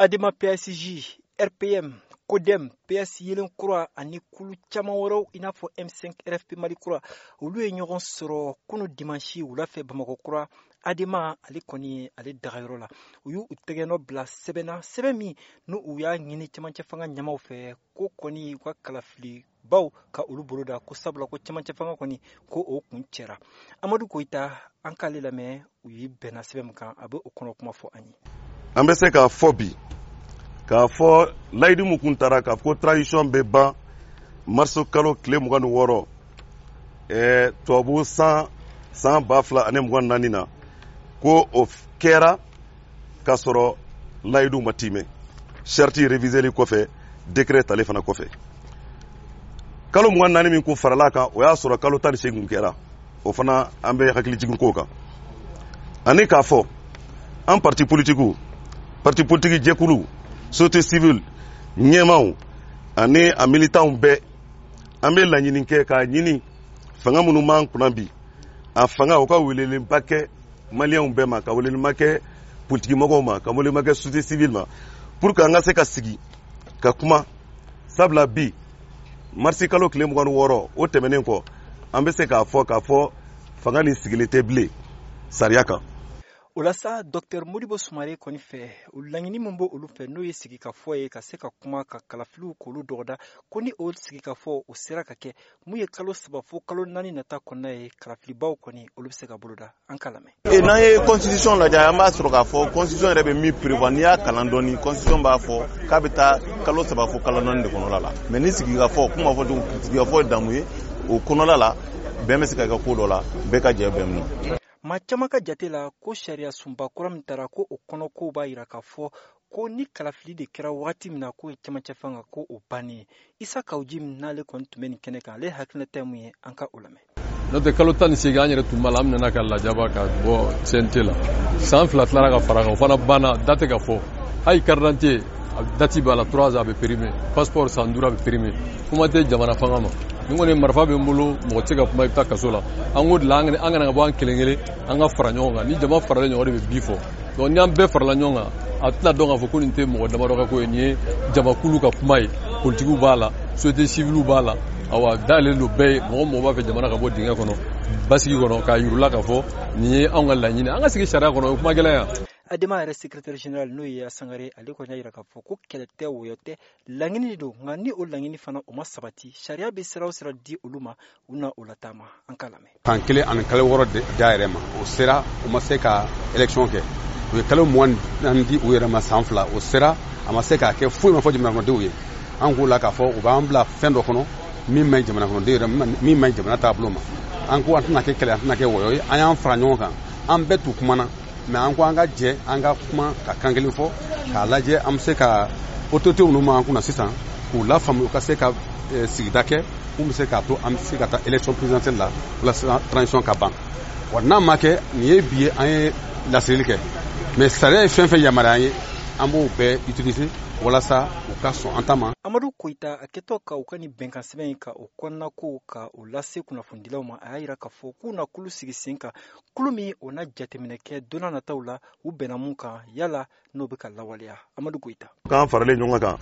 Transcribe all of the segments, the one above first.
Adema PASJ, RPM, CODEM, PS Yelen Kura ani kulu caman wɛrɛw i n'a fɔ M5 RFP Mali Kura, olu ye ɲɔgɔn sɔrɔ kunu dimanche wula fɛ Bamakɔ Kura, Adema ale kɔni ye ale dagayɔrɔ la. U y'u tɛgɛnɔ bila sɛbɛn na, sɛbɛn min n'u u y'a ɲini cɛmancɛ fanga ɲɛmaw fɛ ko kɔni u ka kalafili baw ka olu bolo da, ko sabula ko cɛmancɛ fanga kɔni ko o kun cɛra. Amadu Koyita, an k'ale lamɛn, u ye bɛnna sɛbɛn min kan, a bɛ o kɔnɔ kuma fɔ an ye. An bɛ se k'a fɔ bi k'a fɔ layidu min kun taara k'a fɔ ko transition bɛ ban mars kalo tile 26, tubabu san 2024 na, ko o kɛra k'a sɔrɔ layidu ma timɛ, charte réviseli kɔfɛ, décret talen fana kɔfɛ. Kalo 24 min kun farala kan, o y'a sɔrɔ kalo 18 kɛra. O fana, an bɛ hakili jigin k'o kan. Ani k'a fɔ an parti politikiw, parti politique jɛkulu, société civile ɲɛmaw ani a militants bɛɛ, an bɛ laɲini kɛ k'a ɲini fanga minnu b'an kunna bi, a fanga o ka welelenba kɛ maliyɛnw bɛɛ ma, ka welelenba kɛ politikimɔgɔw ma, ka welelenba kɛ société civile ma, pour que an ka se ka sigi ka kuma. Sabula bi marisi kalo tile 26 o tɛmɛnen kɔ, an bɛ se k'a fɔ k'a fɔ fanga nin sigilen tɛ bilen sariya kan. O la sa, Dr Modibo Sumare kɔni fɛ, o laɲini min b'o olu fɛ, n'o ye sigikafɔ ye, ka se ka kuma ka kalafiliw k'olu dɔgɔda, ko ni o sigikafɔ o sera ka kɛ, mun ye kalo 3 fo kalo 4 nata kɔnɔna ye, kalafilibaw kɔni olu bɛ se ka boloda. An k'a lamɛn. N'an ye constitution lajɛ, an b'a sɔrɔ k'a fɔ constitution yɛrɛ bɛ min prévoir, n'i y'a kalan dɔɔni, constitution b'a fɔ k'a bɛ taa kalo 3 fo kalo 4 de kɔnɔla la. Mais ni sigikafɔ kuma fɔ cogo, sigikafɔ ye damu ye, o kɔnɔla la bɛn bɛ se ka kɛ ko dɔ la, bɛɛ ka jɛ bɛn min. Maa caman ka jate la, ko sariya sunba kura min taara, ko o kɔnɔ kow b'a yira k'a fɔ ko ni kalafili de kɛra wagati min na, k'o ye cɛmancɛ fanga ko o bannen ye. Isa Kawuji min n'ale kɔni tun bɛ nin kɛnɛ kan, ale hakilinata ye mun ye? An ka o lamɛn. N'o tɛ, kalo 18, an yɛrɛ tun b'a la, an nana ka lajaba ka bɔ CNT la. San 2 tilara ka fara kan, o fana banna, da tɛ ka fɔ. Hali carte d'identité date b'a la, 3 ans a bɛ périmé, passeport san 5 a bɛ périmé. Kuma tɛ jamana fanga ma. Ni kɔni marifa bɛ n bolo, mɔgɔ tɛ se ka kuma, i bɛ taa kaso la. An ko de la, an kana ka bɔ an kelen kelen, an ka fara ɲɔgɔn kan. Ni jama faralen ɲɔgɔn de bɛ bi fɔ. Donc ni an bɛɛ farala ɲɔgɔn kan, a tɛna dɔn k'a fɔ ko nin tɛ mɔgɔ damadɔ ka ko ye, nin ye jamakulu ka kuma ye. Politikiw b'a la, société civile b'a la, awa dayɛlɛlen don bɛɛ ye. Mɔgɔ mɔgɔ b'a fɛ jamana ka bɔ dingɛ kɔnɔ, basigi kɔnɔ, k'a yir'u la k'a fɔ nin ye anw ka laɲini, an ka sigi sariya kɔnɔ, o ye kuma gɛlɛn yan. Adema yɛrɛ secrétaire général, n'o ye Sangare, ale kɔni y'a yira k'a fɔ ko kɛlɛ tɛ, wɔyɔ tɛ, laɲini de don. Nka ni o laɲini fana o ma sabati, sariya bɛ sira o sira di olu ma, u na o lataama. An k'a lamɛn. San kelen ani kalo 6 d'a yɛrɛ ma, o sera, u ma se ka élection kɛ. U ye kalo 24 di u yɛrɛ ma, san 2 o sera, a ma se k'a kɛ. Foyi ma fɔ jamana kɔnɔdenw ye. An k'o la k'a fɔ u b'an bila fɛn dɔ kɔnɔ min ma ɲi jamana kɔnɔdenw yɛrɛ, min ma ɲi jamana taabolo ma. An ko an tɛna kɛ kɛlɛ, an tɛna kɛ wɔyɔ ye. An y'an fara ɲɔgɔn kan, an bɛɛ t'u kumana, mais an ko an ka jɛ, an ka kuma ka kan kelen fɔ, k'a lajɛ an bɛ se ka autorité minnu b'an kunna sisan, k'u lafaamu, u ka se ka sigida kɛ mun bɛ se k'a to an bɛ se ka taa élection présidentielle la walasa transition ka ban wa. N'a ma kɛ, nin ye bi ye, an ye laseli kɛ, mais sariya ye fɛn fɛn yamaruya an ye, an b'o bɛɛ utiliser walasa u ka sɔn an ta ma. Amadu Koyita, a kɛtɔ ka u ka nin bɛnkan sɛbɛn in ka o kɔnɔnako ka o lase kunnafonidilaw ma, a y'a yira k'a fɔ k'u na kulu sigi sen kan, kulu min o na jateminɛ kɛ don n'a nataw la, u bɛnna mun kan, yala n'o bɛ ka lawaleya. Amadu Koyita. K'an faralen ɲɔgɔn kan,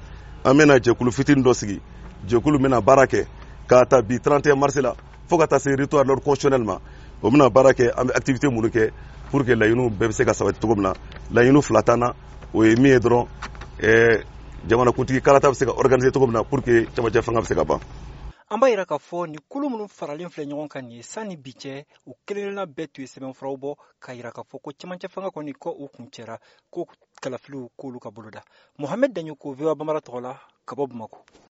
an bɛna jɛkulu fitinin dɔ sigi, jɛkulu bɛna baara kɛ k'a ta bi 31 mars la fo ka taa se retour à l'ordre constitutionnel ma. O bɛna baara kɛ, an bɛ activité minnu kɛ pour que laɲiniw bɛɛ bɛ se ka sabati cogo min na. Laɲiniw fila t'an na, o ye min ye dɔrɔn, jamanakuntigi kalata bɛ se ka organiser cogo min na pour que cɛmancɛ fanga bɛ se ka ban. An b'a yira k'a fɔ nin kulu minnu faralen filɛ ɲɔgɔn kan nin ye, sanni bi cɛ, u kelenkelenna bɛɛ tun ye sɛbɛnfuraw bɔ k'a yira k'a fɔ ko cɛmancɛ fanga kɔni ko u kun cɛra, ko kalafiliw k'olu ka boloda. Mohamɛd Daɲoko, VOA Bambara tɔgɔ la, ka bɔ Bamako.